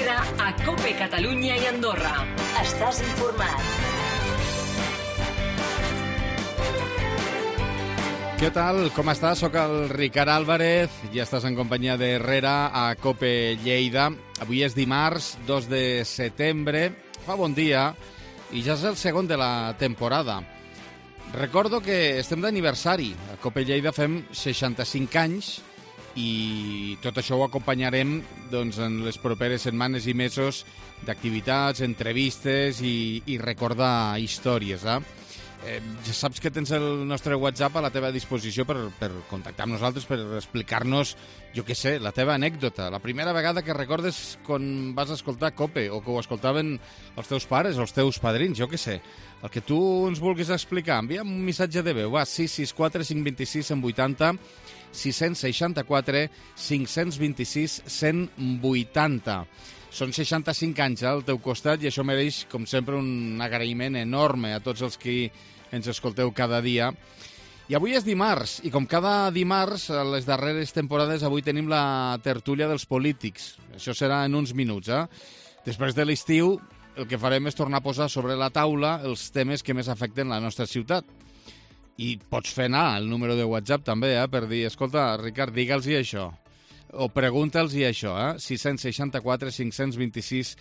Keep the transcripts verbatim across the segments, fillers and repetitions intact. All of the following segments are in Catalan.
Herrera a COPE Catalunya i Andorra. Estàs informat. Què tal? Com estàs? Soc el Ricard Álvarez i estàs en companyia de Herrera a COPE Lleida. Avui és dimarts, dos de setembre. Fa bon dia i ja és el segon de la temporada. Recordo que estem d'aniversari. A COPE Lleida fem seixanta-cinc anys i tot això ho acompanyarem doncs, en les properes setmanes i mesos d'activitats, entrevistes i, i recordar històries. Eh? Eh, ja saps que tens el nostre WhatsApp a la teva disposició per, per contactar amb nosaltres, per explicar-nos, jo què sé, la teva anècdota. La primera vegada que recordes quan vas escoltar COPE o que ho escoltaven els teus pares o els teus padrins, jo què sé. El que tu ens vulguis explicar, envia'm un missatge de veu. Va, sis sis quatre cinc dos sis cent vuitanta, sis seixanta-quatre cinc vint sis cent vuitanta. Són seixanta-cinc anys al teu costat i això mereix, com sempre, un agraïment enorme a tots els que ens escolteu cada dia. I avui és dimarts, i com cada dimarts, a les darreres temporades, avui tenim la tertúlia dels polítics. Això serà en uns minuts, eh? Després de l'estiu, el que farem és tornar a posar sobre la taula els temes que més afecten la nostra ciutat. I pots fer anar el número de WhatsApp també, eh, per dir, escolta, Ricard, digue'ls-hi això. O pregunta'ls-hi això, eh? sis seixanta-quatre cinc vint sis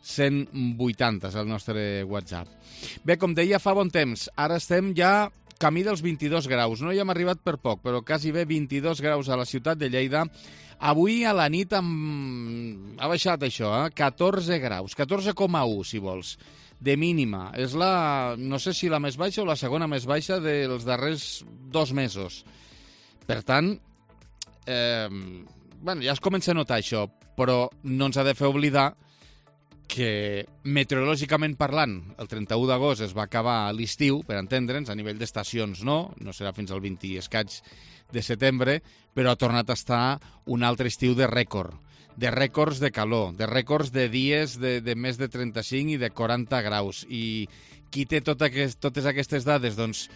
cent vuitanta és el nostre WhatsApp. Bé, com deia, fa bon temps. Ara estem ja camí dels vint-i-dos graus. No hi hem arribat per poc, però quasi bé vint-i-dos graus a la ciutat de Lleida. Avui a la nit amb... ha baixat això, eh? catorze graus, catorze coma u, si vols, de mínima. És la, no sé si la més baixa o la segona més baixa dels darrers dos mesos. Per tant, eh, bueno, ja es comença a notar això, però no ens ha de fer oblidar que meteorològicament parlant, el trenta-u d'agost es va acabar l'estiu, per entendre'ns, a nivell d'estacions no, no serà fins al vint i escaig de setembre, però ha tornat a estar un altre estiu de rècord, de rècords de calor, de rècords de dies de, de més de trenta-cinc i de quaranta graus. I qui té tot aquest, totes aquestes dades? Doncs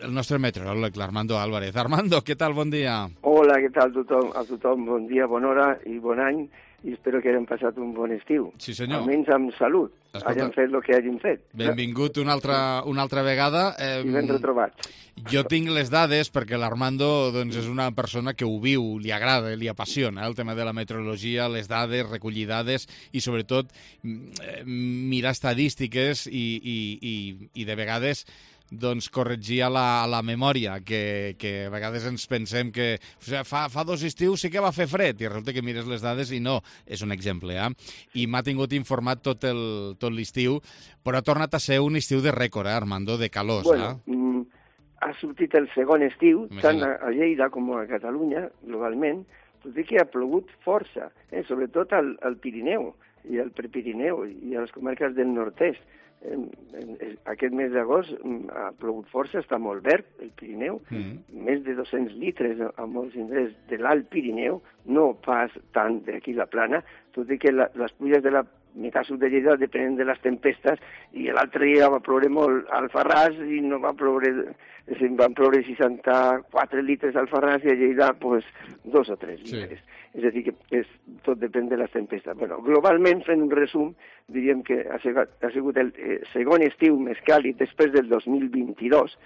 el nostre meteoròleg, l'Armando Álvarez. Armando, què tal? Bon dia. Hola, què tal tothom? A tothom, bon dia, bona hora i bon any, i espero que hagin passat un bon estiu. Sí, senyor. Almenys amb salut. Escolta, hagin fet el que hagin fet. Benvingut una altra, una altra vegada. Eh, I ben retrobats. Jo tinc les dades perquè l'Armando doncs, és una persona que ho viu, li agrada, li apassiona el tema de la meteorologia, les dades, recollir dades i sobretot mirar estadístiques i, i, i, i de vegades doncs corregir a la, a la memòria, que, que a vegades ens pensem que o sigui, fa, fa dos estius sí que va fer fred, i resulta que mires les dades i no, és un exemple, eh? I m'ha tingut informat tot el, tot l'estiu, però ha tornat a ser un estiu de rècord, eh, Armando, de calors, bueno, eh? Mm, ha sortit el segon estiu, tant a, a Lleida com a Catalunya, globalment, tot i que ha plogut força, eh? Sobretot al, al Pirineu i al Prepirineu i a les comarques del nord-est. Aquest mes d'agost ha plogut força, està molt verd el Pirineu, mm. més de dos-cents litres a molts indrets de l'Alt Pirineu, no pas tant d'aquí la Plana, tot i que la, les pluies de la meitat sud de Lleida depenen de les tempestes, i l'altre dia va ploure molt al Alfarràs i no va ploure, van ploure seixanta-quatre litres al Alfarràs i a Lleida pues, dos o tres litres. Sí. És a dir, que és, tot depèn de les tempestes. Bueno, globalment, fent un resum, diríem que ha sigut, ha sigut el eh, segon estiu més càlid després del dos mil vint-i-dos,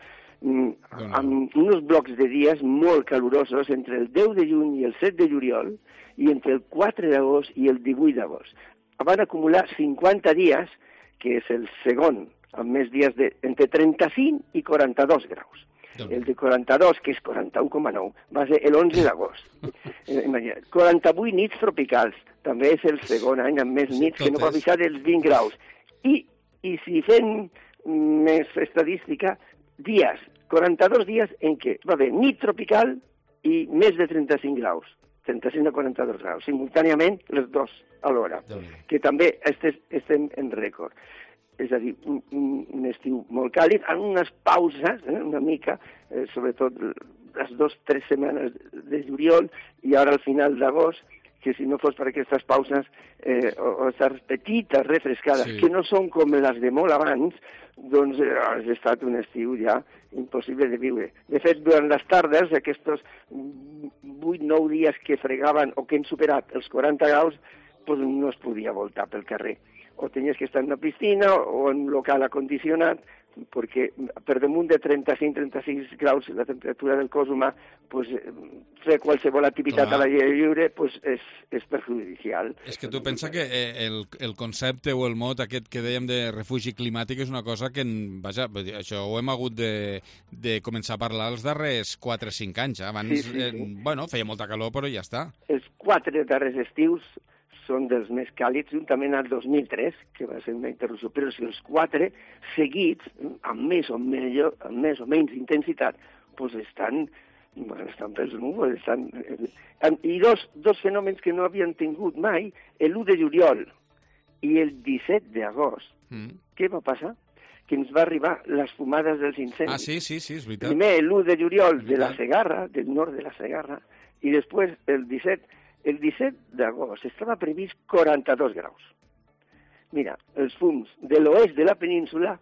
mm, amb uns blocs de dies molt calorosos entre el deu de juny i el set de juliol i entre el quatre d'agost i el divuit d'agost. Van acumular cinquanta dies, que és el segon, amb més dies de, entre trenta-cinc i quaranta-dos graus. El de quaranta-dos, que és quaranta-u coma nou, va ser l'onze d'agost. quaranta-vuit nits tropicals, també és el segon any amb més nits, que no va baixar dels vint graus. I, i si fem més estadística, dies, quaranta-dos dies en què va haver nit tropical i més de trenta-cinc graus, trenta-cinc a quaranta-dos graus, simultàniament les dos alhora, que també estem en rècord. És a dir, un, un estiu molt càlid, amb unes pauses, eh, una mica, eh, sobretot les dues o tres setmanes de juliol i ara al final d'agost, que si no fos per aquestes pauses, eh, o, o aquestes petites refrescades, sí. que no són com les de molt abans, doncs eh, ha estat un estiu ja impossible de viure. De fet, durant les tardes, aquests vuit o nou dies que fregaven o que hem superat els quaranta graus, pues no es podia voltar pel carrer. O tenies que estar en una piscina o en un local acondicionat, perquè per damunt de trenta-cinc a trenta-sis graus la temperatura del cos humà, pues, fer qualsevol activitat Clar. a l'aire lliure pues, és, és perjudicial. És que tu pensa que el, el concepte o el mot aquest que dèiem de refugi climàtic és una cosa que, vaja, això ho hem hagut de, de començar a parlar els darrers quatre o cinc anys. Abans, sí, sí, sí. Eh, bueno, feia molta calor, però ja està. Els quatre darrers estius són dels més càlids, juntament al dos mil tres, que va ser una interrupció, però si els quatre seguits, amb més o, millor, amb més o menys intensitat, doncs estan, bueno, estan pels núvols. Estan, I dos, dos fenòmens que no havien tingut mai, l'u de juliol i el disset d'agost. Mm. Què va passar? Que ens va arribar les fumades dels incendis. Ah, sí, sí, sí, és veritat. Primer l'u de juliol de la Segarra, del nord de la Segarra, i després el disset El disset d'agost estava previst quaranta-dos graus. Mira, els fums de l'oest de la península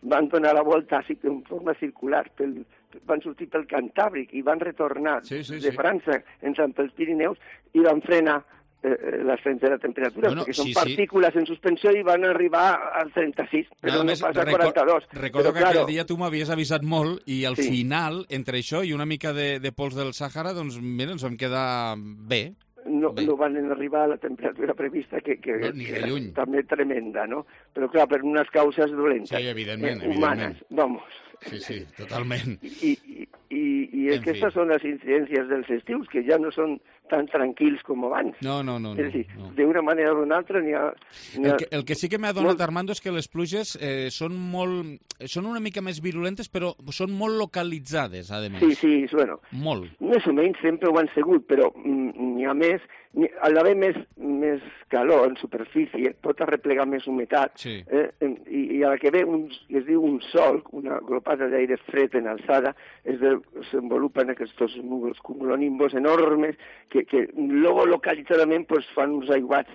van donar la volta en forma circular, pel, van sortir pel Cantàbric i van retornar sí, sí, de sí. França entrant pels Pirineus i van frenar eh, l'ascens de la temperatura, bueno, perquè són sí, partícules sí. en suspensió i van arribar al trenta-sis, però no, no passa a quaranta-dos. Recordo però, que claro, aquell dia tu m'havies avisat molt i al sí. final, entre això i una mica de, de pols del Sàhara, doncs mira, ens vam quedar bé. No, no van arribar a la temperatura prevista, que, que, no, que era també tremenda, no? Però, clar, per unes causes dolentes. Sí, evidentment, eh, humanes, evidentment. Vamos. Sí, sí, totalment. I, i, i, i aquestes fi. són les incidències dels estius, que ja no són tan tranquils com abans. No, no, no. És a dir, no. d'una manera o d'una altra n'hi ha... ha... El, que, el que sí que m'ha donat, molt... Armando, és que les pluges eh, són molt... són una mica més virulentes, però són molt localitzades, a més. Sí, sí, bueno. Molt. Més o menys sempre ho han sigut, però n'hi ha més... Al haver més, més calor en superfície, pot arreplegar més humitat, sí. eh, i, i a la que ve un, es diu un sol, una glopada d'aire fred en alçada, es desenvolupen aquests núvols cumulonimbus enormes que, que luego localitzadament pues, fan uns aiguats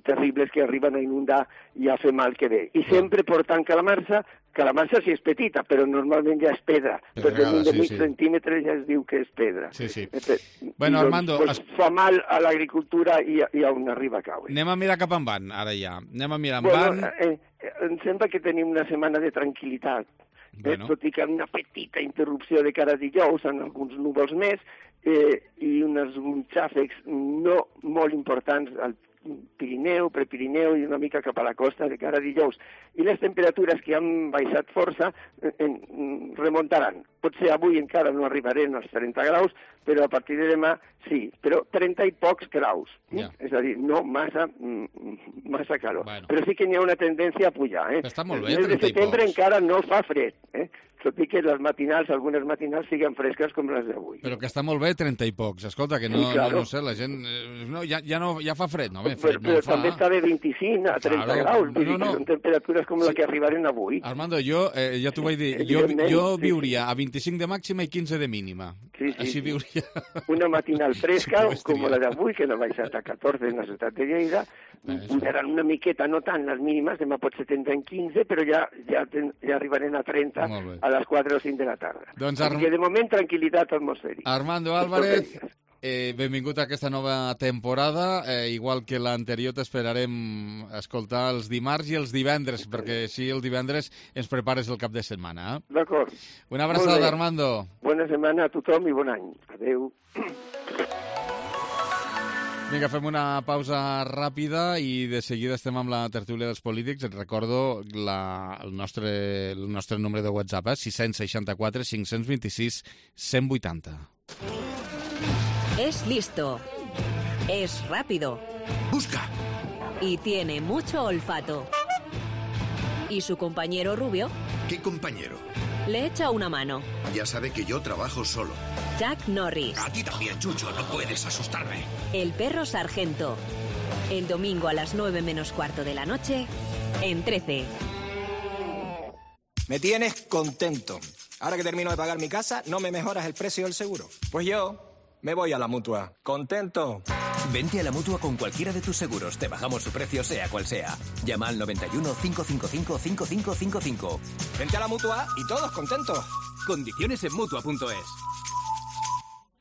terribles que arriben a inundar i a fer mal que ve. I sempre portant calamarsa, calamarsa si és petita, però normalment ja és pedra. Per damunt de mig sí, sí. centímetre ja es diu que és pedra. Sí, sí. Eh, bueno, doncs, Armando... Pues, es... fa mal a l'agricultura i, i a on arriba a caure. Anem a mirar cap en van, ara ja. Anem a mirar en bueno, van... Eh, eh, em sembla que tenim una setmana de tranquil·litat. Bueno. Eh, tot i que una petita interrupció de cara a dijous en alguns núvols més eh, i uns xàfecs no molt importants al Pirineu, Prepirineu i una mica cap a la costa de cara a dijous. I les temperatures que han baixat força eh, eh, remuntaran. Potser avui encara no arribarem als trenta graus, però a partir de demà sí, però trenta i pocs graus. Ja. És a dir, no massa, massa calor. Bueno. Però sí que n'hi ha una tendència a pujar. Eh? Està molt bé, el mes de setembre pocs. encara no fa fred, eh? tot i que les matinals, algunes matinals, siguin fresques com les d'avui. Però que està molt bé, trenta i pocs. Escolta, que no, sí, claro. no, no sé, la gent... No, ja, ja, no, ja fa fred, no? Bé, fred però però no fa... també està de vint-i-cinc a trenta claro. graus. No, no, no. Són temperatures com sí. la que arribaren avui. Armando, jo, eh, ja t'ho vaig dir, jo, jo viuria a vint-i-cinc de màxima i quinze de mínima. Sí, sí. Així viuria... Una matinal fresca, sí, com la d'avui, que no ha baixat a catorze en la ciutat de Lleida. Eren una miqueta, no tant les mínimes, demà potser tindran quinze, però ja, ja, ten, ja arribarem a trenta a les quatre o cinc de la tarda. Doncs Ar... de moment, tranquil·litat atmosfèrica. Armando Álvarez, eh, benvingut a aquesta nova temporada. Eh, igual que l'anterior, t'esperarem escoltar els dimarts i els divendres, perquè així el divendres ens prepares el cap de setmana. Eh? D'acord. Una abraçada, Armando. Bona setmana a tothom i bon any. Adéu. Vinga, fem una pausa ràpida i de seguida estem amb la tertúlia dels polítics. Et recordo la, el, nostre, el nostre número de WhatsApp, eh? sis seixanta quatre cinc vint sis cent vuitanta. Es listo. Es rápido. Busca. Y tiene mucho olfato. ¿Y su compañero rubio? ¿Qué compañero? Le echa una mano. Ya sabe que yo trabajo solo. Chuck Norris. A ti también, Chucho, no puedes asustarme. El perro sargento. El domingo a las nueve menos cuarto de la noche, en trece. Me tienes contento. Ahora que termino de pagar mi casa, ¿no me mejoras el precio del seguro? Pues yo me voy a la Mutua. ¿Contento? Vente a la Mutua con cualquiera de tus seguros. Te bajamos su precio, sea cual sea. Llama al noventa y uno, cinco cinco cinco, cinco cinco cinco cinco. Vente a la Mutua y todos contentos. Condiciones en Mutua punto es.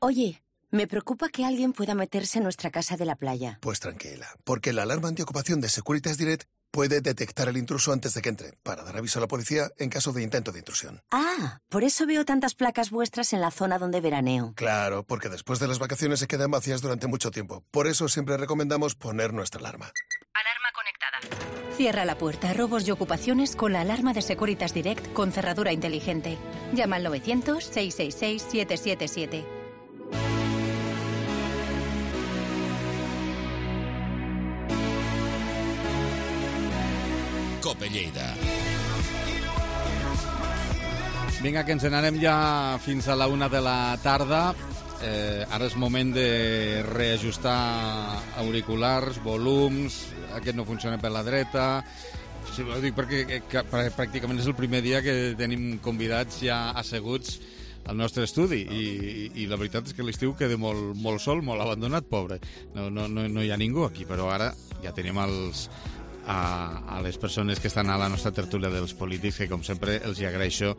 Oye, Me preocupa que alguien pueda meterse en nuestra casa de la playa. Pues tranquila, porque la alarma antiocupación de Securitas Direct puede detectar el intruso antes de que entre, para dar aviso a la policía en caso de intento de intrusión. Ah, por eso veo tantas placas vuestras en la zona donde veraneo. Claro, porque después de las vacaciones se quedan vacías durante mucho tiempo. Por eso siempre recomendamos poner nuestra alarma. Alarma conectada. Cierra la puerta a robos y ocupaciones con la alarma de Securitas Direct con cerradura inteligente. Llama al novecientos, seiscientos sesenta y seis, setecientos setenta y siete. Cope Lleida. Vinga, que ens n'anem ja fins a la una de la tarda. Eh, ara és moment de reajustar auriculars, volums. Aquest no funciona per la dreta. Sí, ho dic perquè que, pràcticament és el primer dia que tenim convidats ja asseguts al nostre estudi i, i, i la veritat és que l'estiu queda molt, molt sol, molt abandonat, pobre. No, no, no, no hi ha ningú aquí, però ara ja tenim els... A, a les persones que estan a la nostra tertúlia dels polítics, que com sempre els hi agraeixo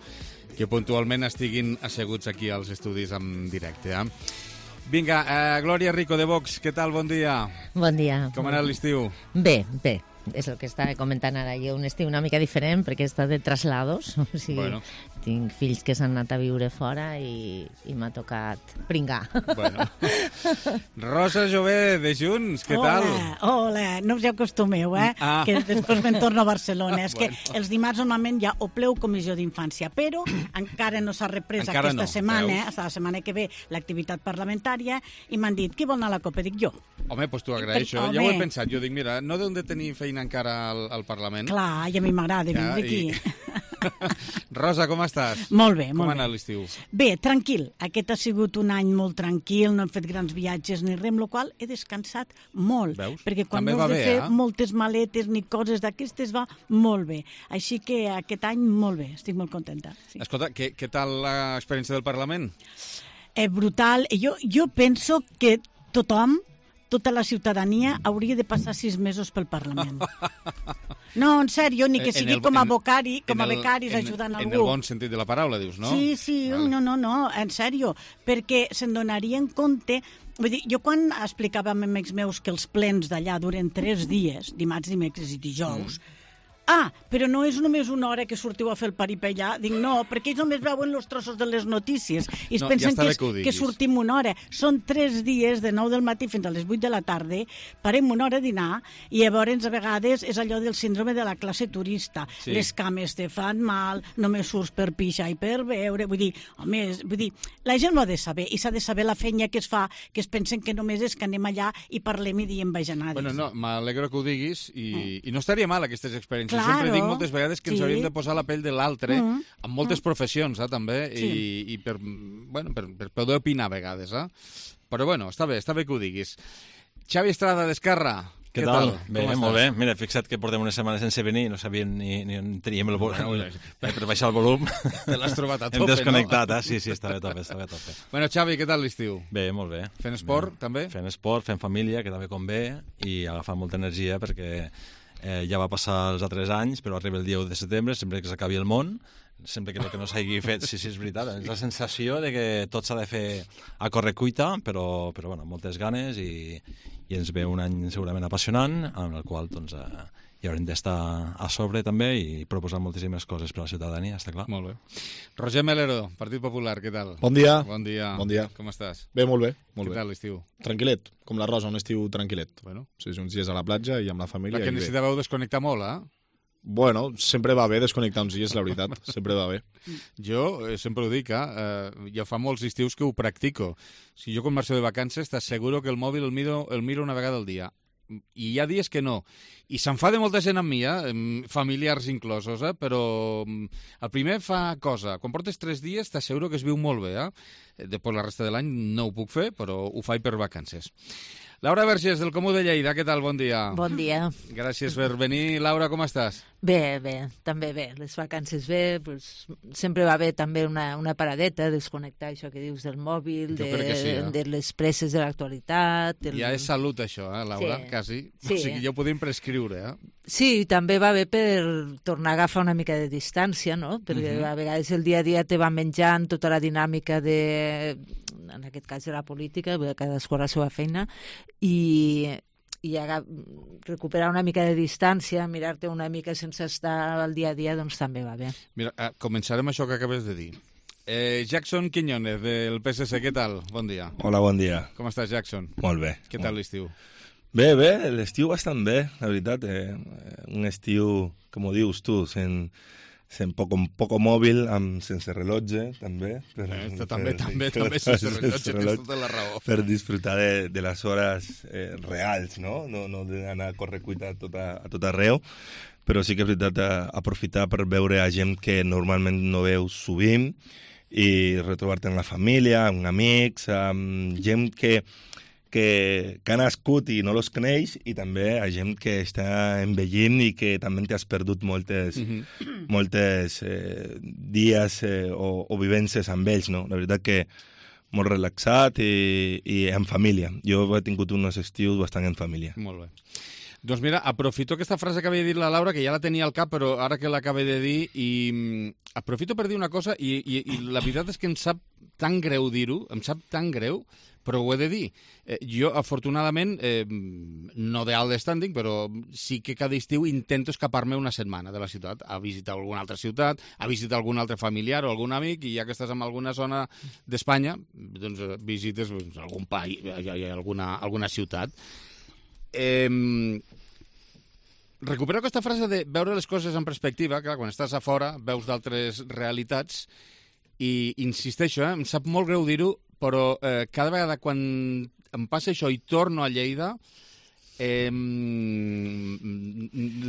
que puntualment estiguin asseguts aquí als estudis en directe. Eh? Vinga, eh, Glòria Rico de Vox, què tal? Bon dia. Bon dia. Com ha anat l'estiu? Bé, bé. És el que estava comentant ara jo, un estiu una mica diferent perquè he estat de traslados, o sigui, bueno. Tinc fills que s'han anat a viure fora i, i m'ha tocat pringar. Bueno. Rosa Jové, de Junts, què hola, tal? Hola, no us hi acostumeu, eh? Ah. Que després me'n torno a Barcelona. És bueno. Que els dimarts normalment ja o pleu comissió d'infància, però encara no s'ha reprès encara aquesta no, setmana, fins la setmana que ve, l'activitat parlamentària, i m'han dit, qui vol anar a la Copa? Dic jo. Home, doncs t'ho agraeixo. Ja ho he pensat. Jo dic, mira, no deuen de tenir feina encara al, al Parlament. Clar, i a mi m'agrada ja, vindre aquí. I... Rosa, com estàs? Molt bé, com molt ha anat l'estiu? Bé, tranquil. Aquest ha sigut un any molt tranquil, no hem fet grans viatges ni res, amb la qual he descansat molt. Veus? Perquè quan També no has de bé, fer eh? moltes maletes ni coses d'aquestes va molt bé. Així que aquest any molt bé, estic molt contenta. Sí. Escolta, què, què tal l'experiència del Parlament? Eh, brutal. Jo, jo penso que tothom, tota la ciutadania hauria de passar sis mesos pel Parlament. No, en sèrio, ni que sigui el, com a becari, com a becaris el, ajudant en, algú. En el bon sentit de la paraula, dius, no? Sí, sí, vale. no, no, no, en sèrio, perquè se'n donarien compte. Vull dir, jo quan explicava amb amics meus que els plens d'allà duren tres dies, dimarts, dimecres i dijous, mm. Ah, però no és només una hora que sortiu a fer el paripé allà. Dic, no, perquè ells només veuen els trossos de les notícies i es no, pensen ja que, és, que sortim una hora. Són tres dies, de nou del matí fins a les vuit de la tarda, parem una hora a dinar i llavors a vegades és allò del síndrome de la classe turista. Sí. Les cames te fan mal, només surts per pixar i per veure. Vull dir, home, és, vull dir, la gent ho ha de saber i s'ha de saber la feina que es fa, que es pensen que només és que anem allà i parlem i diem bajanades. Bueno, no, m'alegro que ho diguis i, mm. i no estaria mal aquestes experiències. Claro, sempre dic moltes vegades que ens sí. hauríem de posar la pell de l'altre, mm. amb moltes mm. professions, eh, també, sí. i, i per, bueno, per, per poder opinar a vegades. Eh? Però bueno, està bé, està bé que ho diguis. Xavi Estrada, d'Esquerra. Què, Què tal? tal? Bé, molt bé. Mira, fixa't que portem una setmana sense venir i no sabíem ni, ni on teníem el volum. Per baixar el volum. Te l'has trobat a tope, Hem desconnectat, no? eh? Sí, sí, estava a tope, estava a tope. Bueno, Xavi, què tal l'estiu? Bé, molt bé. Fent esport, bé. també? Fent esport, fent família, que també convé, i agafant molta energia perquè eh, ja va passar els altres anys, però arriba el dia u de setembre, sempre que s'acabi el món, sempre que el que no s'hagi fet, sí, sí, és veritat, és la sensació de que tot s'ha de fer a correcuita, però, però bueno, moltes ganes i, i ens ve un any segurament apassionant, en el qual doncs, eh, hi haurem d'estar a sobre també i proposar moltíssimes coses per a la ciutadania, està clar. Molt bé. Roger Melero, Partit Popular, què tal? Bon dia. Bon dia. Bon dia. Com estàs? Bé, molt bé. Molt què bé. tal l'estiu? Tranquil·let, com la Rosa, un estiu tranquil·let. Bueno. Sí, uns dies a la platja i amb la família. La que necessitàveu desconnectar molt, eh? Bueno, sempre va bé desconnectar uns dies, la veritat. Sempre va bé. Jo eh, sempre ho dic, eh? ja fa molts estius que ho practico. Si jo quan marxo de vacances t'asseguro que el mòbil el miro, el miro una vegada al dia. I hi ha dies que no. I s'enfada molta gent amb mi, eh? familiars inclosos, eh? però el primer fa cosa. Quan portes tres dies t'asseguro que es viu molt bé. Eh? Després la resta de l'any no ho puc fer, però ho faig per vacances. Laura Vergés, del Comú de Lleida, què tal? Bon dia. Bon dia. Gràcies per venir. Laura, com estàs? Bé, bé, també bé. Les vacances bé, pues, sempre va bé també una, una paradeta, desconnectar això que dius del mòbil, de, sí, eh? de les presses de l'actualitat. El... Ja és salut, això, eh, Laura? Sí. Quasi. Sí. O sigui, ja ho podem prescriure, eh? Sí, també va bé per tornar a agafar una mica de distància, no? Perquè uh-huh. a vegades el dia a dia te va menjant tota la dinàmica de, en aquest cas de la política, cadascú a la seva feina, i, i recuperar una mica de distància, mirar-te una mica sense estar al dia a dia, doncs també va bé. Mira, començarem això que acabes de dir. Eh, Jackson Quiñones, del P S C, què tal? Bon dia. Hola, bon dia. Com estàs, Jackson? Molt bé. Què tal l'estiu? Bé, bé, l'estiu bastant bé, la veritat. Eh, un estiu, com ho dius tu, sen, sen poco, poco mòbil, amb, sense rellotge, també. Per, eh, també, per, també, per, també sense rellotge, tens tota la raó. Per disfrutar de, de les hores eh, reals, no? No, no d'anar a correcuita a tot, a, a tot arreu, però sí que és veritat a, aprofitar per veure a gent que normalment no veus sovint i retrobar-te amb la família, amb amics, amb gent que que, que ha nascut i no los coneix, i també a gent que està envellint i que també t'has perdut moltes, mm-hmm. moltes eh, dies eh, o, o vivències amb ells, no? La veritat que molt relaxat i, i en família. Jo he tingut uns estius bastant en família. Molt bé. Doncs mira, aprofito aquesta frase que havia dit la Laura, que ja la tenia al cap, però ara que l'acabé de dir, i aprofito per dir una cosa, i, i, i la veritat és que em sap tan greu dir-ho, em sap tan greu, però ho he de dir. Eh, jo, afortunadament, eh, no de alt standing, però sí que cada estiu intento escapar-me una setmana de la ciutat, a visitar alguna altra ciutat, a visitar algun altre familiar o algun amic, i ja que estàs en alguna zona d'Espanya, doncs visites doncs, algun país, alguna, alguna ciutat. Eh, recupero aquesta frase de veure les coses en perspectiva. Clar, quan estàs a fora veus d'altres realitats, i insisteixo, eh, em sap molt greu dir-ho, però eh, cada vegada quan em passa això i torno a Lleida, eh,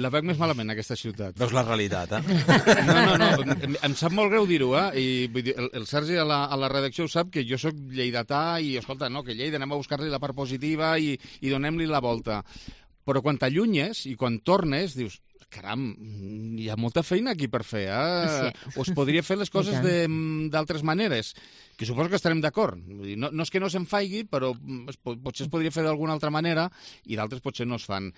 la veig més malament, aquesta ciutat. Veus la realitat, eh? No, no, no, em, em sap molt greu dir-ho, eh? I vull dir, el, el Sergi a la, a la redacció ho sap, que jo sóc lleidatà i, escolta, no, que Lleida anem a buscar-li la part positiva i, i donem-li la volta. Però quan t'allunyes i quan tornes, dius, caram, hi ha molta feina aquí per fer, eh? Sí. O es podria fer les coses d'altres maneres, que suposo que estarem d'acord. No, no és que no se'n faigui, però es, potser es podria fer d'alguna altra manera i d'altres potser no es fan.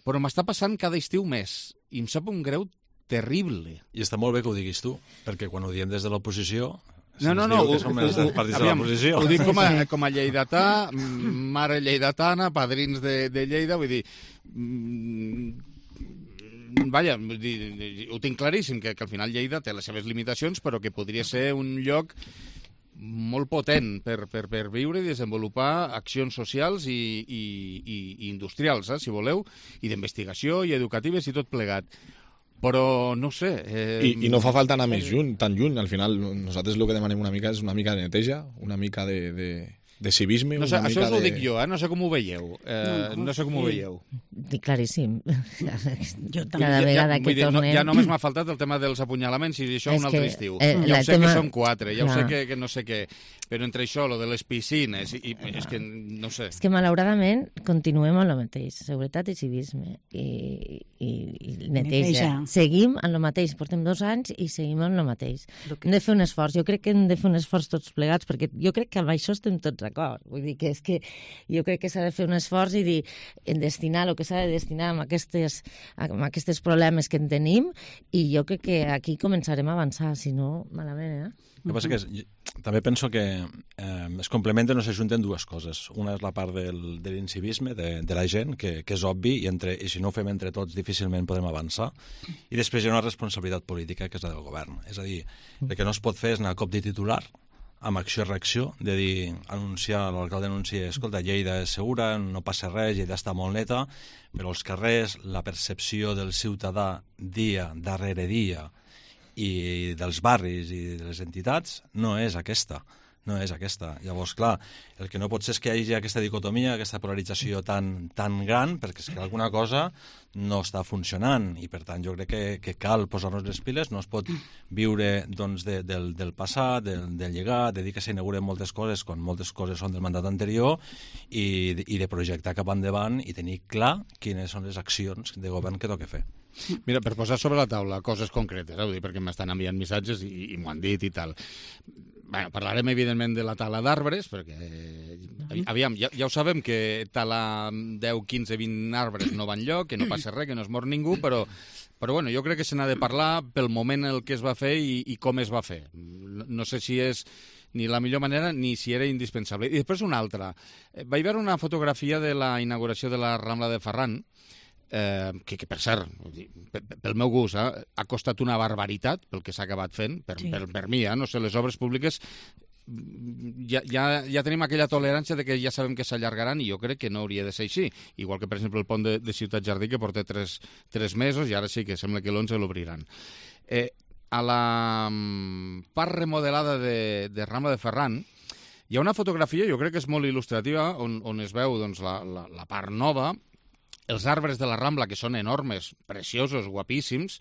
Però m'està passant cada estiu més, i em sap un greu terrible. I està molt bé que ho diguis tu, perquè quan ho diem des de l'oposició... No, no, no, ho, ho, aviam, ho dic com a, com a lleidatà, mare lleidatana, padrins de, de Lleida, vull dir... Vaja, ho tinc claríssim, que, que al final Lleida té les seves limitacions, però que podria ser un lloc molt potent per, per, per viure i desenvolupar accions socials i, i, i, i industrials, eh, si voleu, i d'investigació i educatives i tot plegat. Però no sé... Eh... I, I no fa falta anar més lluny, tan lluny. Al final, nosaltres el que demanem una mica és una mica de neteja, una mica de... de... de civisme. No sé, una això mica us ho de... dic jo, eh? No sé com ho veieu. Eh, no, no sé com ho veieu. Dic claríssim. Jo també. Cada vegada ja, que dir, tornem... No, ja només m'ha faltat el tema dels apunyalaments, i això és un altre estiu. Eh, ja ho sé tema... que són quatre, ja Clar. ho sé que, que no sé què, però entre això, lo de les piscines, i, i és que no sé. És que malauradament continuem amb el mateix, seguretat i civisme, i, i, i neteja. neteja. Seguim amb el mateix, portem dos anys i seguim amb el mateix. Que... Hem de fer un esforç, jo crec que hem de fer un esforç tots plegats, perquè jo crec que amb això estem tots d'acord. Vull dir que és que jo crec que s'ha de fer un esforç i dir, en destinar el que s'ha de destinar amb aquestes, amb aquests problemes que en tenim, i jo crec que aquí començarem a avançar, si no, malament, eh? El que passa que és, també penso que eh, es complementen o s'ajunten dues coses. Una és la part del, de l'incivisme de, de la gent, que, que és obvi, i, entre, i si no ho fem entre tots difícilment podem avançar. I després hi ha una responsabilitat política, que és la del govern. És a dir, el que no es pot fer és anar a cop de titular, amb acció-reacció, de dir, anunciar, l'alcalde anuncia, escolta, Lleida és segura, no passa res, Lleida està molt neta, però els carrers, la percepció del ciutadà dia darrere dia, i dels barris i de les entitats no és aquesta, no és aquesta. Llavors, clar, el que no pot ser és que hi hagi aquesta dicotomia, aquesta polarització tan, tan gran, perquè és que alguna cosa no està funcionant, i per tant jo crec que, que cal posar-nos les piles. No es pot viure doncs, de, del, del passat, del, del llegat, de dir que s'inauguren moltes coses quan moltes coses són del mandat anterior, i, i de projectar cap endavant i tenir clar quines són les accions de govern que toca fer. Mira, per posar sobre la taula coses concretes, eh, vull dir, perquè m'estan enviant missatges i, i m'ho han dit i tal. Bueno, parlarem, evidentment, de la tala d'arbres, perquè, aviam, ja, ja ho sabem que talar deu, quinze, vint arbres no va enlloc, que no passa res, que no es mor ningú, però, però bueno, jo crec que se n'ha de parlar pel moment en el que es va fer i, i com es va fer. No, no sé si és ni la millor manera ni si era indispensable. I després una altra. Vaig veure una fotografia de la inauguració de la Rambla de Ferran, Eh, que, que per cert, pel meu gust, eh, ha costat una barbaritat pel que s'ha acabat fent, per, sí. per, per mi, eh, no sé, les obres públiques ja, ja, ja tenim aquella tolerància de que ja sabem que s'allargaran i jo crec que no hauria de ser així, igual que per exemple el pont de, de Ciutat Jardí que porta tres, tres mesos i ara sí que sembla que l'onze l'obriran. Eh, a la part remodelada de, de Rambla de Ferran hi ha una fotografia, jo crec que és molt il·lustrativa, on, on es veu doncs, la, la, la part nova, els arbres de la Rambla, que són enormes, preciosos, guapíssims,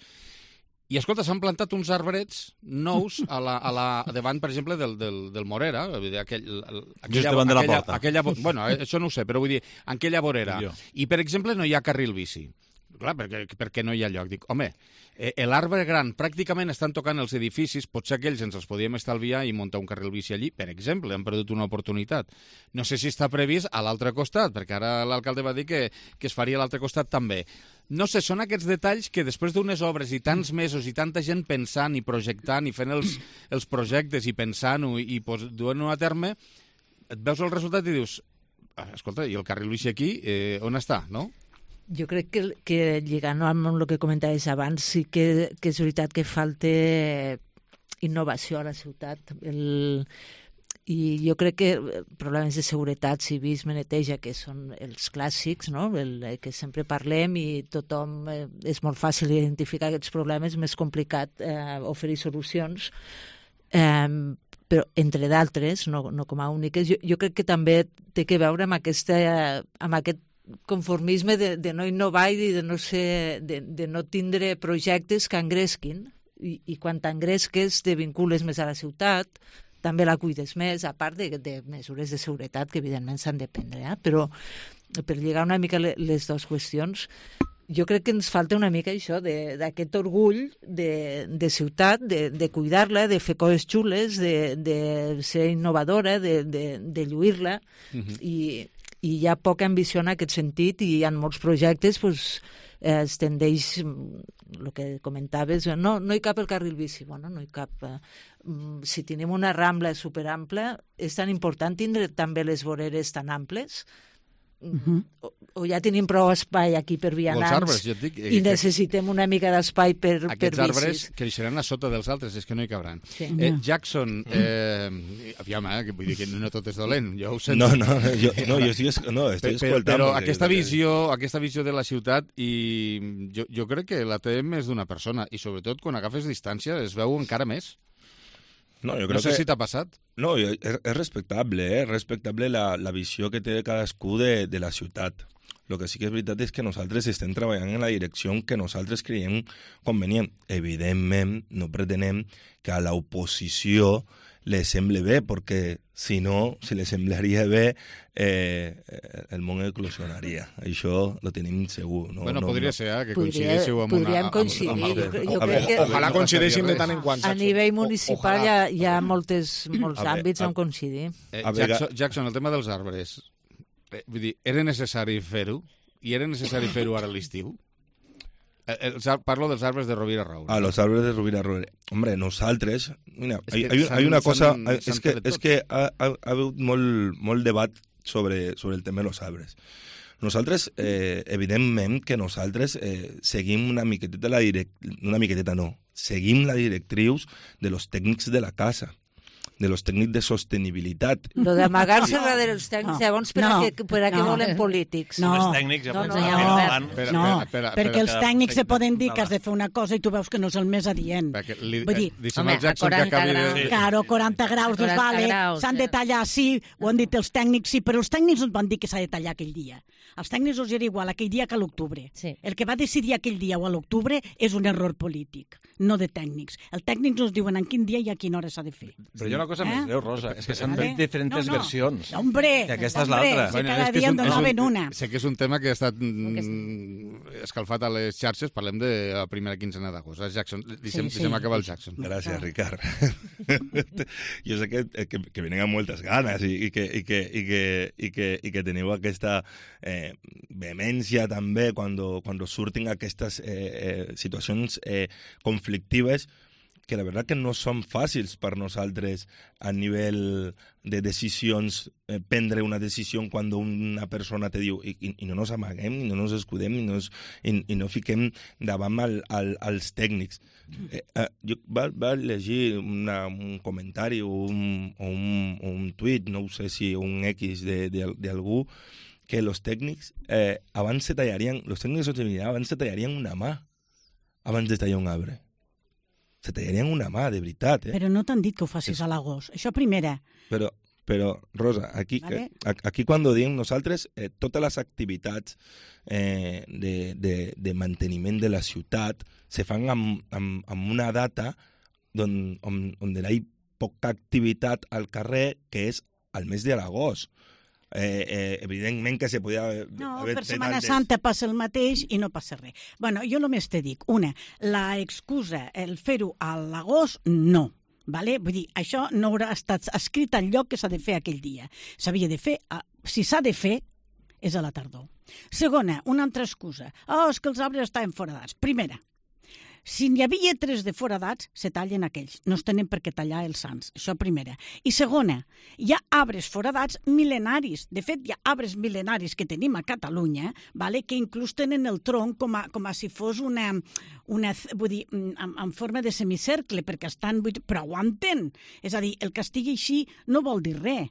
i, escolta, s'han plantat uns arbrets nous a la, a la, davant, per exemple, del, del, del Morera. Aquell, el, aquella, Just davant de la aquella, porta. Aquella, bueno, això no ho sé, però vull dir, en aquella vorera. I, per exemple, no hi ha carril bici. Clar, perquè, perquè no hi ha lloc. Dic, home, eh, l'arbre gran pràcticament estan tocant els edificis, potser aquells ens els podíem estalviar i muntar un carril bici allí, per exemple, han perdut una oportunitat. No sé si està previst a l'altre costat, perquè ara l'alcalde va dir que, que es faria a l'altre costat també. No sé, són aquests detalls que després d'unes obres i tants mesos i tanta gent pensant i projectant i fent els, els projectes i pensant-ho i, i duent-ho a terme, et veus el resultat i dius, escolta, i el carril bici aquí, eh, on està, no? Jo crec que, que lligant amb el que comentaves abans, sí que, que és veritat que falta innovació a la ciutat. El, I jo crec que problemes de seguretat, civisme, neteja, que són els clàssics, no? El, que sempre parlem i tothom eh, és molt fàcil identificar aquests problemes, més complicat eh, oferir solucions, eh, però entre d'altres, no, no com a úniques. Jo, jo crec que també té que veure amb, aquesta, amb aquest conformisme de, de no innovar i de no, ser, de, de no tindre projectes que engresquin i, i quan t'engresques te vincules més a la ciutat, també la cuides més, a part de, de mesures de seguretat que evidentment s'han de prendre, eh? Però per lligar una mica les dues qüestions, jo crec que ens falta una mica això, d'aquest orgull de, de ciutat, de, de cuidar-la, de fer coses xules, de, de ser innovadora, de, de, de lluir-la, uh-huh. i i hi ha poca ambició en aquest sentit i en molts projectes pues, eh, es tendeix, el que comentaves, no, no hi cap el carril bici, bueno, no hi cap. Eh, si tenim una rambla superampla, és tan important tindre també les voreres tan amples, uh-huh. o, o ja tenim prou espai aquí per vianants arbres, ja dic, eh, i necessitem una mica d'espai per, per bicis. Aquests arbres creixeran a sota dels altres, és que no hi cabran. Sí. Eh, Jackson, eh, aviam, eh, que vull dir que no tot és dolent, jo ho sento. No, no, jo, no, jo estic, no, estic escoltant. Però, però aquesta, visió, aquesta visió de la ciutat, i jo, jo crec que la té més d'una persona, i sobretot quan agafes distància es veu encara més. No, jo crec no sé que... si t'ha passat. No, és, és respectable, eh? És respectable la, la visió que té cadascú de, de la ciutat. El que sí que és veritat és que nosaltres estem treballant en la direcció que nosaltres creiem convenient. Evidentment, no pretenem que a l'oposició li sembli bé, perquè si no, si li semblaria bé, eh, el món eclosionaria. Això lo tenim segur. No, bueno, no, podria no. ser, eh, que Podria, coincidíssiu amb podríem una... coincidir. Amb, amb, jo, amb, jo amb, crec que... Ojalà coincideixin de tant en quant. A nivell municipal hi ha, hi ha moltes, molts a àmbits a, on coincidir. Eh, Jackson, Jackson, el tema dels arbres, eh, vull dir, era necessari fer-ho? I era necessari fer-ho ara a l'estiu? Eh, parlo dels arbres de Rovira Roure. Ah, los árboles de Rovira Roure. Hombre, nosaltres... Mira, hay, hay, hay una cosa... És que, és que ha, ha, ha hagut molt, molt debat sobre, sobre el tema de los arbres. Nosaltres, eh, evidentment que nosaltres eh, seguim una miqueteta la direct... Una miqueteta no. Seguim la directrius de los tècnics de la casa, de los tècnics de sostenibilitat. Lo d'amagar-se no. darrere els tècnics, no. Llavors, per, no. a què, per a què no. volen polítics? No, els tècnics ja no, no, no, no, no, no espera, perquè els tècnics se poden dir que has de fer una cosa i tu veus que no és el més adient. Perquè li, Vull dir, eh, home, Jackson, que acabi de... Sí. Claro, quaranta graus, doncs vale, s'han de tallar, sí, ho han dit els tècnics, sí, però els tècnics ens van dir que s'ha de tallar aquell dia. Els tècnics us era igual aquell dia que a l'octubre. Sí. El que va decidir aquell dia o a l'octubre és un error polític, no de tècnics. Els tècnics ens diuen en quin dia i a quina hora s'ha de fer. Però hi ha una cosa més greu, Rosa. És que s'han fet diferents versions. Hombre, i aquesta és l'altra. Cada dia en donaven una. Sé que és un tema que ha estat escalfat a les xarxes. Parlem de la primera quincena d'agost. Jackson, deixem acabar el Jackson. Gràcies, Ricard. Jo sé que, que, que venen amb moltes ganes i, i, que, i, que, i, que, i, que, i que teniu aquesta eh, vehemència també quan, quan surtin aquestes eh, eh, situacions eh, conflictives que la veritat que no són fàcils per nosaltres a nivell de decisions, eh, prendre una decisió quan una persona te diu i, i, i no ens amaguem, i no ens escudem, i no, es, i, i no fiquem davant al, al, als tècnics. Eh, eh, jo va, va llegir una, un comentari o un, o un, o un tuit, no sé si un X d'algú, que els tècnics eh, abans se tallarien, els tècnics de sostenibilitat abans se tallarien una mà abans de tallar un arbre. Se tallarien una mà, de veritat. Eh? Però no t'han dit que ho facis és... a l'agost. Això primera. Però, però Rosa, aquí, vale. eh, aquí quan diem nosaltres, eh, totes les activitats eh, de, de, de manteniment de la ciutat se fan amb, amb, amb una data on, on, on hi ha poca activitat al carrer, que és al mes de l'agost. Eh, eh, evidentment que se podia haver no, per Setmana antes... Santa passa el mateix i no passa res. Bueno, jo només te dic, una, la excusa, el fer-ho a l'agost, no. Vale? Vull dir, això no haurà estat escrit al lloc que s'ha de fer aquell dia. S'havia de fer, si s'ha de fer, és a la tardor. Segona, una altra excusa. Oh, és que els arbres estaven foradats. Primera, si n'hi havia tres de foradats, se tallen aquells. No es tenen per què tallar els sants. Això primera. I segona, hi ha arbres foradats mil·lenaris. De fet, hi ha arbres mil·lenaris que tenim a Catalunya, vale, que inclús tenen el tronc com a, com a si fos una, una vull dir, en, en forma de semicercle, perquè estan... Però aguanten. És a dir, el que estigui així no vol dir res.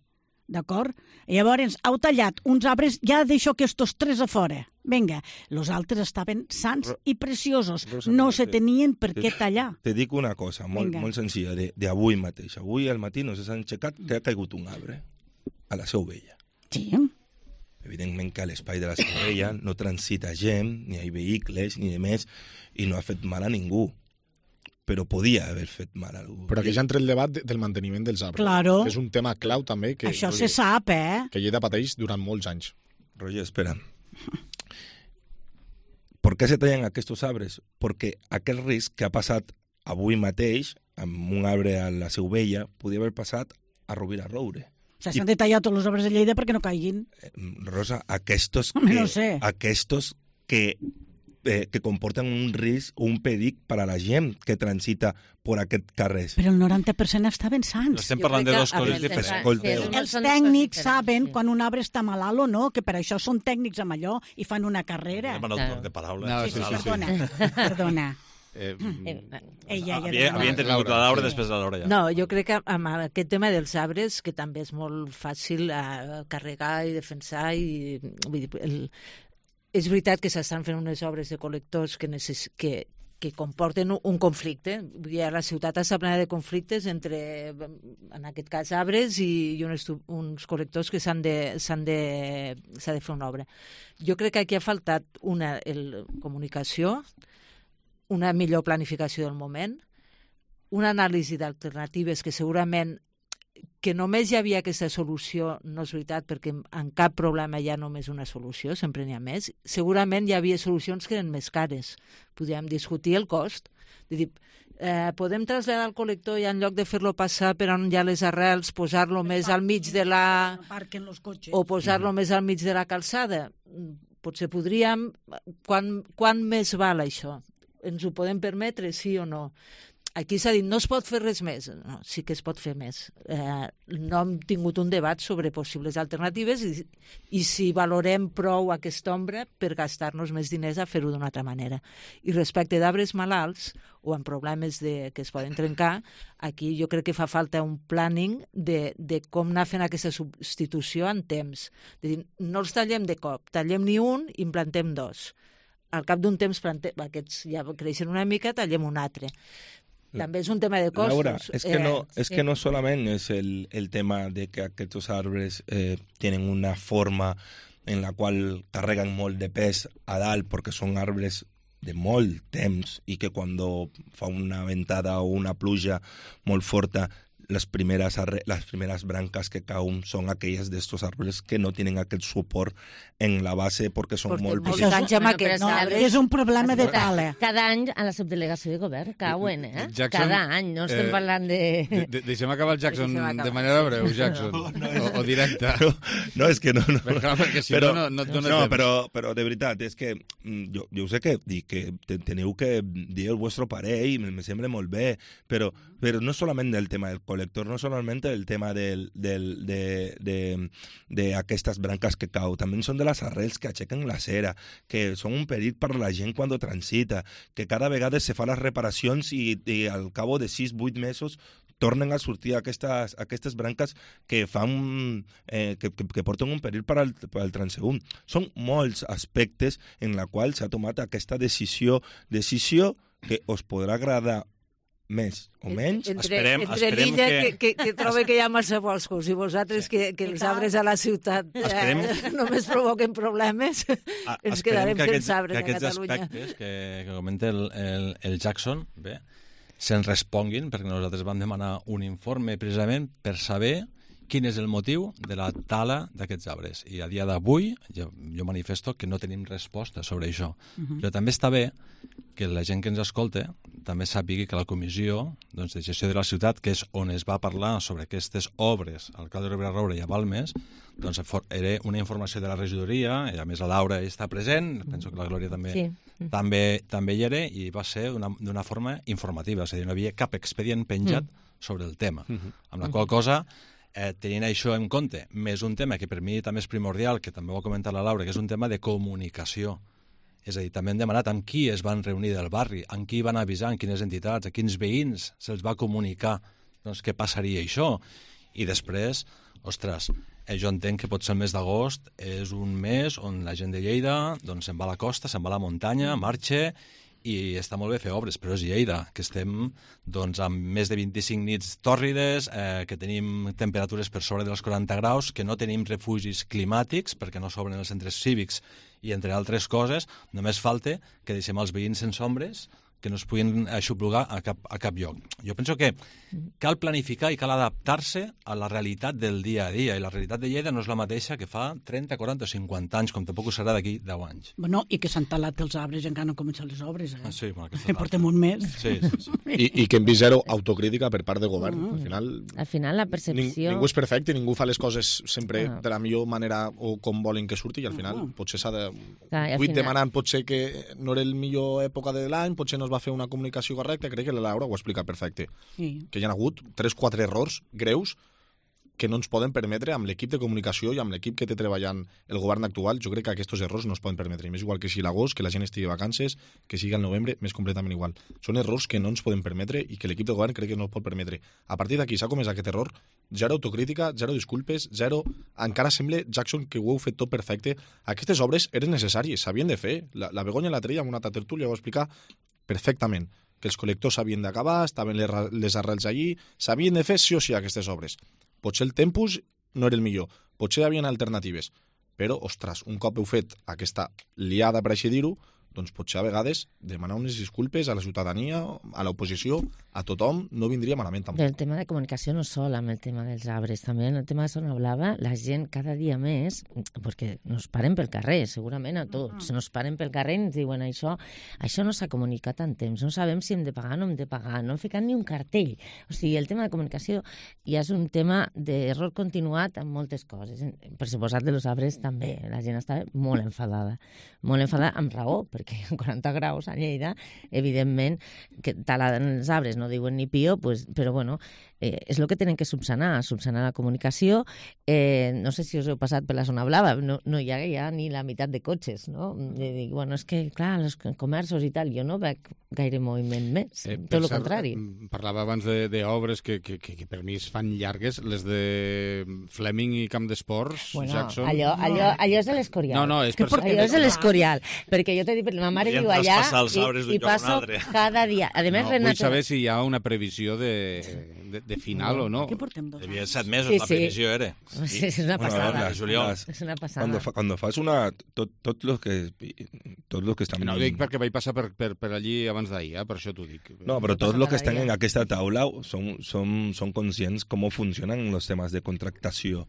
D'acord? Llavors, heu tallat uns arbres, ja deixo aquests tres a fora. Vinga, els altres estaven sants i preciosos. Rosa, no se tenien per què tallar. Te dic una cosa molt, molt senzilla, d'avui mateix. Avui al matí no s'han aixecat que ha caigut un arbre a la Seu Vella. Sí. Evidentment que a l'espai de la Seu Vella no transita gent, ni hi ha vehicles, ni de més, i no ha fet mal a ningú. Però podia haver fet mal a algú. Però aquí ja entra el debat del manteniment dels arbres. Claro. És un tema clau també que, això se sap, eh? que Lleida pateix durant molts anys. Roger, espera. Per què se tallen aquests arbres? Perquè aquest risc que ha passat avui mateix amb un arbre a la Seu Vella podia haver passat a Rovira Roure. O sigui, s'han de tallar tots els arbres de Lleida perquè no caiguin. Rosa, aquests que... No sé. Aquests que... Eh, que comporten un risc o un perill per a la gent que transita per aquest carrer. Però el noranta per cent estaven sants. No estem parlant de dos coses diferents. Els tècnics saben quan un arbre està malalt o no, que per això són tècnics amb allò i fan una carrera. Hem anat un de paraules. No, sí, sí, sí, perdona, perdona. Eh, Ella, ja havia, havia intervingut la Laura, després la Laura ja. No, jo crec que amb aquest tema dels arbres, que també és molt fàcil eh, carregar i defensar, i vull dir, el, és veritat que s'estan fent unes obres de col·lectors que, necess... que, que comporten un conflicte. Vull dir, la ciutat està plena de conflictes entre, en aquest cas, arbres i, i uns, uns col·lectors que s'han de, s'han de, s'ha de fer una obra. Jo crec que aquí ha faltat una el, comunicació, una millor planificació del moment, una anàlisi d'alternatives que segurament que només hi havia aquesta solució, no és veritat, perquè en cap problema hi ha només una solució, sempre n'hi ha més. Segurament hi havia solucions que eren més cares. Podíem discutir el cost. De dir, eh, podem traslladar el col·lector i en lloc de fer-lo passar per on hi ha les arrels, posar-lo més al mig de la... o posar-lo més al mig de la calçada. Potser podríem... Quan, quan més val això? Ens ho podem permetre, sí o no? Aquí s'ha dit, no es pot fer res més. No, sí que es pot fer més. Eh, no hem tingut un debat sobre possibles alternatives i, i si valorem prou aquesta ombra per gastar-nos més diners a fer-ho d'una altra manera. I respecte d'arbres malalts o amb problemes de, que es poden trencar, aquí jo crec que fa falta un planning de, de com anar fent aquesta substitució en temps. De dir, no els tallem de cop, tallem ni un i en plantem dos. Al cap d'un temps plantem, aquests ja creixen una mica, tallem un altre. També és un tema de costos. Laura, es que, eh, no, es sí. que no solamente es el, el tema de que aquests arbres eh, tienen una forma en la qual carreguen molt de pes a dalt perquè són arbres de molt temps i que quan fa una ventada o una pluja molt forta las primeras, las primeras brancas que cauen son aquellas de estos árboles que no tienen aquel soport en la base porque són Porque molt molts petits. anys amb aquest No, arbre. és un problema de tala. Cada any a la subdelegació de govern cauen, eh? Jackson, Cada any, no estem eh, parlant de... De, de, deixem acabar el Jackson Deixem acabar. de manera breu, Jackson, No, no, o, o directa. No, no, és que no... no. Però, clar, perquè si però, no, no, no et dona no, temps. però, però de veritat, és que mm, jo, jo sé que, i que te- teniu que dir el vostre parer i me, me sembla molt bé, però, però no solament el tema del col·lector, no solament el tema del, del, de, de, de aquestes branques que cau, també són de les arrels que aixequen la cera, que són un perill per la gent quan transita, que cada vegada se fa les reparacions i, i al cabo de sis vuit mesos tornen a sortir aquestes, aquestes branques que fan eh, que, que, que porten un perill per al, per al transeünt. Són molts aspectes en la qual s'ha tomat aquesta decisió, decisió que us podrà agradar més o menys. Entre, Esperem- entre esperem l'illa que- que... Que, que troba que hi ha massa boscos i vosaltres sí. que, que els arbres a la ciutat eh, Esperem- només provoquen problemes, Ah, ens esperem quedarem que sense aquests, arbres que a aquests Catalunya. aspectes que, que comenta el, el, el Jackson bé, se'n responguin, perquè nosaltres vam demanar un informe precisament per saber quin és el motiu de la tala d'aquests arbres. I a dia d'avui jo, jo manifesto que no tenim resposta sobre això. Mhm. Però també està bé que la gent que ens escolta també sàpiga que la comissió doncs, de gestió de la ciutat, que és on es va parlar sobre aquestes obres al Cal de Ribera Roure i a Balmes, doncs era una informació de la regidoria, i a més la Laura està present, penso que la Glòria també, Sí. també, també hi era, i va ser d'una forma informativa, és a dir, no hi havia cap expedient penjat Mm. sobre el tema. Mhm. Amb la qual cosa, eh, tenint això en compte, més un tema que per mi també és primordial, que també ho ha comentat la Laura, que és un tema de comunicació. És a dir, també hem demanat amb qui es van reunir del barri, amb qui van avisar, amb quines entitats, a quins veïns se'ls va comunicar doncs, què passaria això. I després, ostres, eh, jo entenc que potser el mes d'agost és un mes on la gent de Lleida doncs, se'n va a la costa, se'n va a la muntanya, marxa, i està molt bé fer obres, però és Lleida, que estem doncs, amb més de vint-i-cinc nits tòrrides, eh, que tenim temperatures per sobre dels quaranta graus, que no tenim refugis climàtics perquè no s'obren els centres cívics i, entre altres coses, només falta que deixem els veïns sense ombres, que no es puguin aixoplugar a cap, a cap lloc. Jo penso que cal planificar i cal adaptar-se a la realitat del dia a dia, i la realitat de Lleida no és la mateixa que fa trenta, quaranta o cinquanta anys, com tampoc ho serà d'aquí deu anys. Bueno, i que s'han talat els arbres i encara no han començat les obres, eh? Ah, sí, bueno, aquesta Que portem un mes. Sí, sí, sí. I, I que hem vist zero autocrítica per part del govern. Al final, Al final la ning, percepció... ningú és perfecte, ningú fa les coses sempre No. de la millor manera o com volen que surti, i al final No. potser s'ha de... Clar, i al Vull final- demanant potser que no era el millor època de l'any, potser no es va fer una comunicació correcta, crec que la Laura ho ha explicat perfecte. Sí. Que hi ha hagut tres quatre errors greus que no ens poden permetre amb l'equip de comunicació i amb l'equip que té treballant el govern actual. Jo crec que aquests errors no es poden permetre. I més igual que si l'agost, que la gent estigui de vacances, que sigui al novembre, més completament igual. Són errors que no ens podem permetre i que l'equip de govern crec que no es pot permetre. A partir d'aquí s'ha comès aquest error, zero autocrítica, zero disculpes, zero... Encara sembla, Jackson, que ho heu fet tot perfecte. Aquestes obres eren necessàries, s'havien de fer. La, la Begoña l'altre dia, en una altra tertúlia, ho va explicar perfectament, que els col·lectors s'havien d'acabar, estaven les, ra- les arrels allí, s'havien de fer sí o sí aquestes obres. Potser el tempus no era el millor, potser hi havia alternatives, però, ostres, un cop heu fet aquesta liada, per així dir-ho, doncs potser a vegades demanar unes disculpes a la ciutadania, a l'oposició, a tothom, no vindria malament tampoc. El tema de comunicació no sol amb el tema dels arbres, també en el tema de Zona Blava, la gent cada dia més, perquè nos paren pel carrer, segurament a tots, nos paren pel carrer i ens diuen això, això no s'ha comunicat en temps, no sabem si hem de pagar o no hem de pagar, no hem ficat ni un cartell. O sigui, el tema de comunicació ja és un tema d'error continuat en moltes coses. Per suposat de los arbres també, la gent està molt enfadada, molt enfadada amb raó, perquè a quaranta graus a Lleida, evidentment, que talant els arbres no diuen ni pio, pues, però bueno, eh, és el que tenen que subsanar, subsanar la comunicació. Eh, no sé si us heu passat per la Zona Blava, no, no hi ha ja ni la meitat de cotxes, no? I dic, bueno, és que, clar, els comerços i tal, jo no veig gaire moviment més, Eh, tot per el cert, contrari. Parlava abans d'obres que, que, que, que per mi es fan llargues, les de Fleming i Camp d'Esports, Bueno, Jackson... allò, allò, allò és de l'Escorial. No, no, és per... Allò és de l'Escorial, perquè jo t'he dit, ma mare Podríem viu allà traspassar els arbres d'un i, i lloc a un passo altre. cada dia. A més, No, vull Renata... saber si hi ha una previsió de, de, de final o no. Què portem dos Devia anys? set mesos, Sí, la sí. previsió era. Sí, és una Bueno, passada. las- juliol. las- És una passada. Cuando, fa, cuando fas una... Tot, tot los que... Tots los que estan... No ho dic perquè vaig passar per, per, per allí abans d'ahir, eh? Per això t'ho dic. No, pero todos pasa los que cada están día. en aquesta taula son, son, son conscientes cómo funcionan los temas de contractación,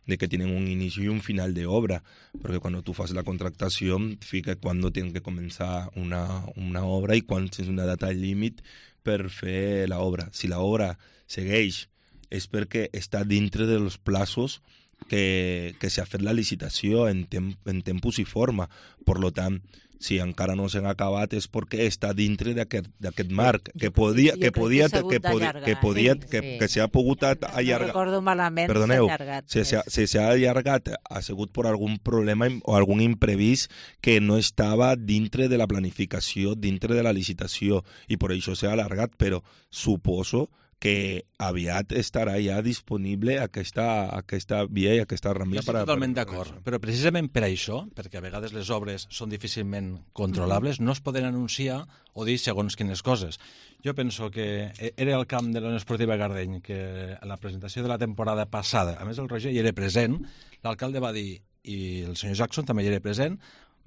de que tienen un inicio y un final de obra, porque cuando tú haces la contractación, fica cuándo tienen que comenzar una, una obra y cuándo es una data límit per fer la obra. Si la obra segueix és perquè està dintre dels plazos que, que s'ha fet la licitació en, tem, en tempus i forma. Per lo tant, si encara no s'han acabat és perquè està dintre d'aquest marc, que podia, que podia, que podia, que podia, que, que s'ha pogut allargar. Recordo malament, Perdoneu, s'ha allargat. si s'ha si s'ha allargat ha sigut per algun problema o algun imprevist que no estava dintre de la planificació, dintre de la licitació, i per això s'ha allargat, però suposo que aviat estarà ja disponible aquesta, aquesta via i aquesta rambla. Jo estic totalment d'acord, però precisament per això, perquè a vegades les obres són difícilment controlables, no es poden anunciar o dir segons quines coses. Jo penso que era el camp de la Unió Esportiva Gardeny, que a la presentació de la temporada passada, a més el Roger hi era present, l'alcalde va dir, i el senyor Jackson també hi era present,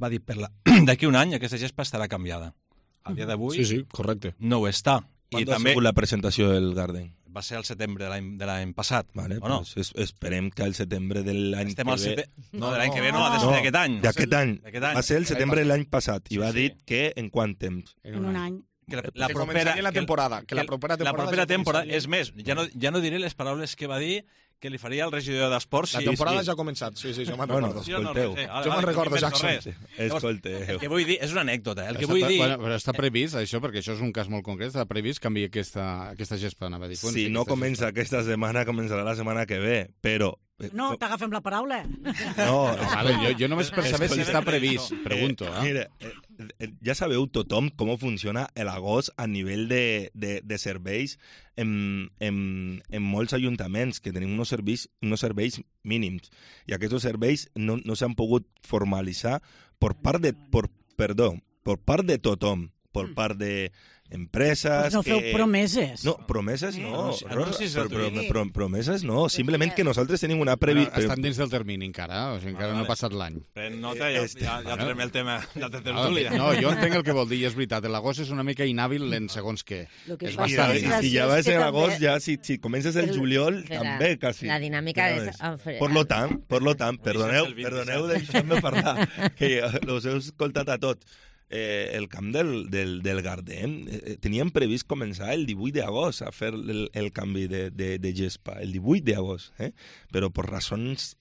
va dir, per la... d'aquí un any aquesta gespa estarà canviada. A dia d'avui sí, sí, correcte. no ho està. I també la presentació del Garden? Va ser al setembre de l'any passat. Vale, o no? pues esperem que al setembre de l'any que ve... Sete... No, de l'any que ve no, ha de ser d'aquest any. D'aquest any. Va ser el setembre de l'any passat i va dir que en quant temps? En un any. Que la, la propera, la temporada. Que la propera temporada, la propera temporada és més, ja no, ja no diré les paraules que va dir que li faria el regidor d'Esports. La temporada ja ha començat, sí, sí, jo me'n bueno, recordo. Escolteu. No, jo me'n recordo, Jackson. Escolteu. El que vull dir, és una anècdota, el que està, vull dir... Bueno, però està previst, això, perquè això és un cas molt concret, està previst canviar aquesta, aquesta gespa, anava a dir. Si no comença aquesta setmana, començarà la setmana que ve, però... No, t'agafem la paraula. No, vale, jo, jo només per saber si està previst, pregunto. Eh, mira, eh, ja sabeu tothom com funciona l'agost a nivell de, de, de serveis en, en, en molts ajuntaments, que tenim uns serveis, uns serveis mínims, i aquests serveis no, no s'han pogut formalitzar per part de, per, perdó, per part de tothom, per part de empreses... Pues no feu que... promeses. No, promeses no. Anuncis, anuncis Rosa, però, però, però, promeses no. Simplement que nosaltres tenim una previsió... Bueno, estan dins del termini encara, o sigui, encara Ah, no ha passat l'any. Pren nota, ja, ja, ja trem el tema de la tertúlia. No, jo entenc el que vol dir, i és veritat. L'agost és una mica inhàbil en segons què. que És passa bastant... és I graciós si ja va que ser també- l'agost, ja si, si comences el, El- juliol, Espera, també, quasi. la dinàmica Ja és- ves. en- Per lo tant, per lo tant, perdoneu, el vint-i-set. perdoneu deixeu-me parlar, que us heu escoltat a tot. Eh, el camp del, del, del Gardem eh, teníem previst començar el divuit d'agost a fer el, el canvi de, de, de gespa, el divuit d'agost, eh? Però per raons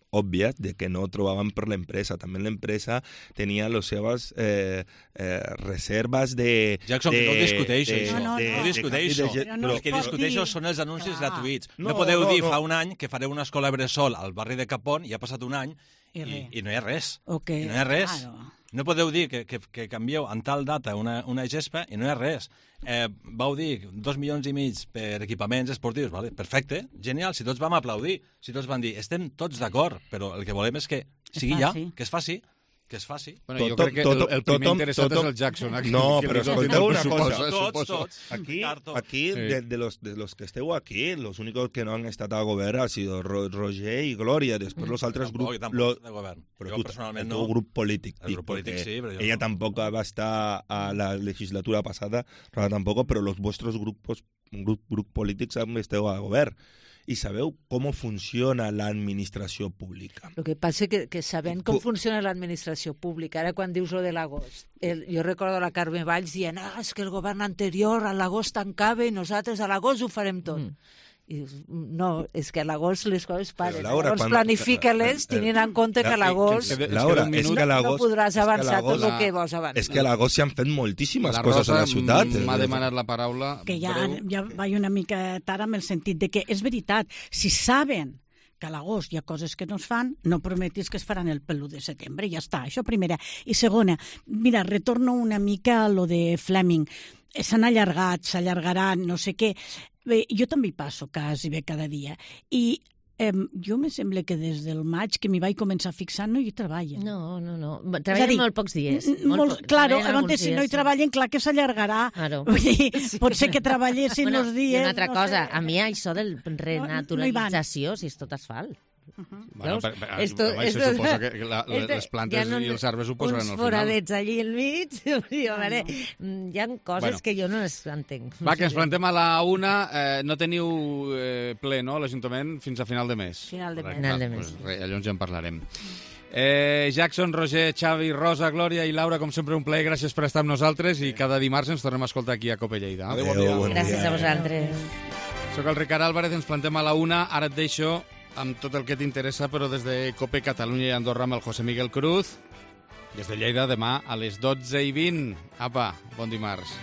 òbvies de que no trobaven per l'empresa. També l'empresa tenia les seves eh, eh, reserves de... Jackson, de, que no ho discuteixo, de, això. No, no, No no. ho discuteixo. de- Però no El que es pot discuteixo dir. són els anuncis Ah. gratuïts. No, No, podeu no, dir no. fa un any que fareu una escola bressol al barri de Capon i ha passat un any I i, res. i no hi ha res. Ok, I no hi ha res. claro. No podeu dir que, que, que canvieu en tal data una, una gespa i no hi ha res. Eh, vau dir dos milions i mig per equipaments esportius, vale? Perfecte, genial, si tots vam aplaudir, si tots van dir, estem tots d'acord, però el que volem és que sigui ja, faci. que es faci, que es faci. Bueno, jo Tothom- crec que el, el primer tothom- interessat tothom- és el Jackson. Aquí, No, que però li doni escolteu el una pressupost, cosa. eh, Tots, suposo. tots. Aquí, Carto. aquí Sí. de, de, los, de los que esteu aquí, los únicos que no han estat al govern ha sido Ro Roger i Glòria. Després los altres Tampoc, grups... tampoc Lo, de govern. però Jo tu, personalment el no. teu grup polític. El grup dic, polític perquè sí, però jo ella no. tampoc va estar a la legislatura passada, Rosa tampoc, però los vostres grupos, grup, grup polítics esteu al govern. I sabeu com funciona l'administració pública. El que passa que, que sabent com Tu- funciona l'administració pública, ara quan dius lo de l'agost, el- jo recordo la Carme Valls dient ah, és que el govern anterior a l'agost tancava i nosaltres a l'agost ho farem tot. Mm. I dius, no, és que a l'agost les coses paren. Laura, Llavors quan- planifica-les eh, eh, tenint en compte que a l'agost que- Laura, un és minut que a no l'agost... podràs és que a avançar tot l'agost- el que vols avançar. És que a l'agost s'hi han fet moltíssimes La coses a Rosa la ciutat. m'ha demanat la paraula. Que ja, breu. ja vaig una mica tard amb el sentit de que és veritat, si saben que a l'agost hi ha coses que no es fan, no prometis que es faran el pel·lu de setembre, ja està, això primera. I segona, mira, retorno una mica a lo de Fleming. S'han allargat, s'allargaran, no sé què. Bé, jo també hi passo quasi bé cada dia. I Eh, jo me sembla que des del maig que m'hi vaig començar a fixar no hi treballen. No, no, no. Treballen dir, molt pocs dies. Molt, molt, claro, llavors si no hi treballen, clar que s'allargarà. Claro. Vull dir, sí. Pot ser que treballessin bueno, els dies... I una altra no cosa, sé. a mi això del renaturalització, no, no si és tot asfalt. Uh -huh. Bueno, per, per, esto, home, esto, se suposa que la, esto, les plantes no, i els arbres ho posaran al final. Uns foradets allí al mig, a veure, hi ha coses bueno. que jo no les entenc. Va, que ens plantem a la una. Eh, no teniu eh, ple, no, l'Ajuntament, fins a final de mes. Final de mes. Final de mes. Pues, re, llavors ja en parlarem. Eh, Jackson, Roger, Xavi, Rosa, Glòria i Laura, com sempre un plaer, gràcies per estar amb nosaltres i cada dimarts ens tornem a escoltar aquí a Cope Lleida. Adéu, bon dia. Bon gràcies dia. A vosaltres. Soc el Ricard Álvarez, ens plantem a la una, ara et deixo amb tot el que t'interessa, però des de Cope Catalunya i Andorra amb el José Miguel Cruz. Des de Lleida, demà a les dotze i vint. Apa, bon dimarts.